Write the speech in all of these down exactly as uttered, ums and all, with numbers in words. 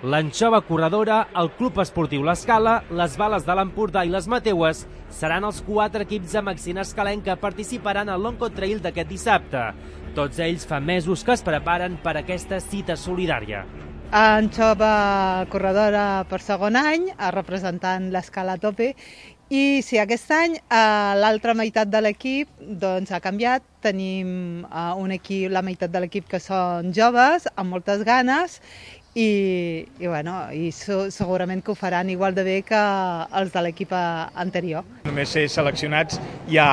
L'Anxova Corredora, el Club Esportiu L'Escala, les Bales de l'Empordà i les Mateues seran els quatre equips de Maxina Escalenc que participaran al l'Oncotrail d'aquest dissabte. Tots ells fa mesos que es preparen per aquesta cita solidària. Anxova Corredora per segon any, representant l'Escala a tope, i sí, aquest any l'altra meitat de l'equip doncs, ha canviat. Tenim un equip, la meitat de l'equip que són joves, amb moltes ganes, i, i, bueno, i segurament que ho faran igual de bé que els de l'equip anterior. Només ser seleccionats ja,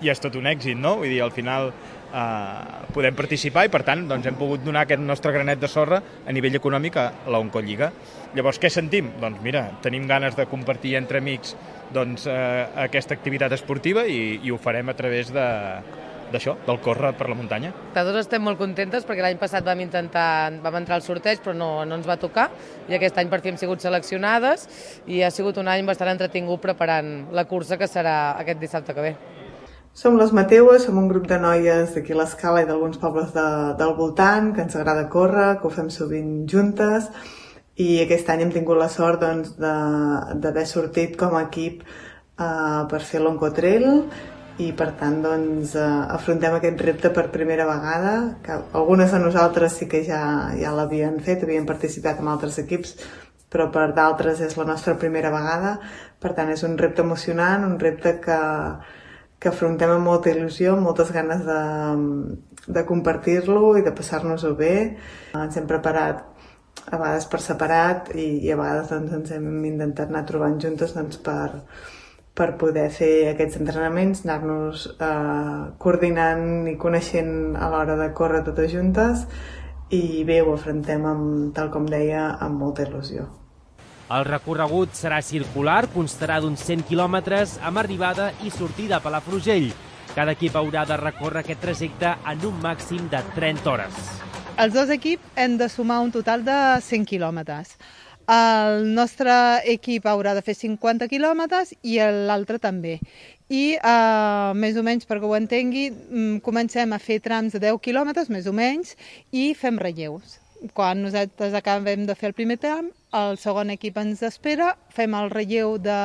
ja és tot un èxit, no? Vull dir, al final eh, podem participar i per tant doncs, hem pogut donar aquest nostre granet de sorra a nivell econòmic a la Oncolliga. Llavors, què sentim? Doncs mira, tenim ganes de compartir entre amics doncs, eh, aquesta activitat esportiva i, i ho farem a través de d'això, del córrer per la muntanya. Nosaltres estem molt contentes perquè l'any passat vam intentar, vam entrar al sorteig però no, no ens va tocar i aquest any per fi hem sigut seleccionades i ha sigut un any bastant entretingut preparant la cursa que serà aquest dissabte que ve. Som les Mateues, som un grup de noies d'aquí a l'Escala i d'alguns pobles de, del voltant, que ens agrada córrer, que ho fem sovint juntes i aquest any hem tingut la sort doncs, d'haver sortit com a equip eh, per fer l'Oncotrail i per tant doncs, eh, afrontem aquest repte per primera vegada, que algunes de nosaltres sí que ja, ja l'havien fet, havien participat en altres equips, però per d'altres és la nostra primera vegada, per tant és un repte emocionant, un repte que, que afrontem amb molta il·lusió, amb moltes ganes de, de compartir-lo i de passar-nos-ho bé. Ens hem preparat a vegades per separat i, i a vegades doncs, ens hem intentat anar trobant juntes doncs, per per poder fer aquests entrenaments, anar-nos eh, coordinant i coneixent a l'hora de córrer totes juntes i bé, ho afrontem, amb, tal com deia, amb molta il·lusió. El recorregut serà circular, constarà d'uns cent quilòmetres amb arribada i sortida a Palafrugell. Cada equip haurà de recórrer aquest trajecte en un màxim de trenta hores. Els dos equips hem de sumar un total de cent quilòmetres. El nostre equip haurà de fer cinquanta quilòmetres i l'altre també. I eh, més o menys, perquè ho entengui, comencem a fer trams de deu quilòmetres, més o menys, i fem relleus. Quan nosaltres acabem de fer el primer tram, el segon equip ens espera, fem el relleu de,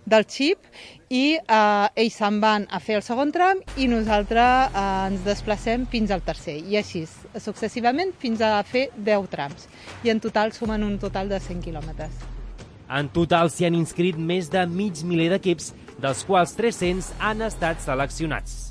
del xip i eh, ells se'n van a fer el segon tram i nosaltres eh, ens desplacem fins al tercer. I així, successivament, fins a fer deu trams. I en total sumen un total de cent quilòmetres. En total s'hi han inscrit més de mig miler d'equips, dels quals tres-cents han estat seleccionats.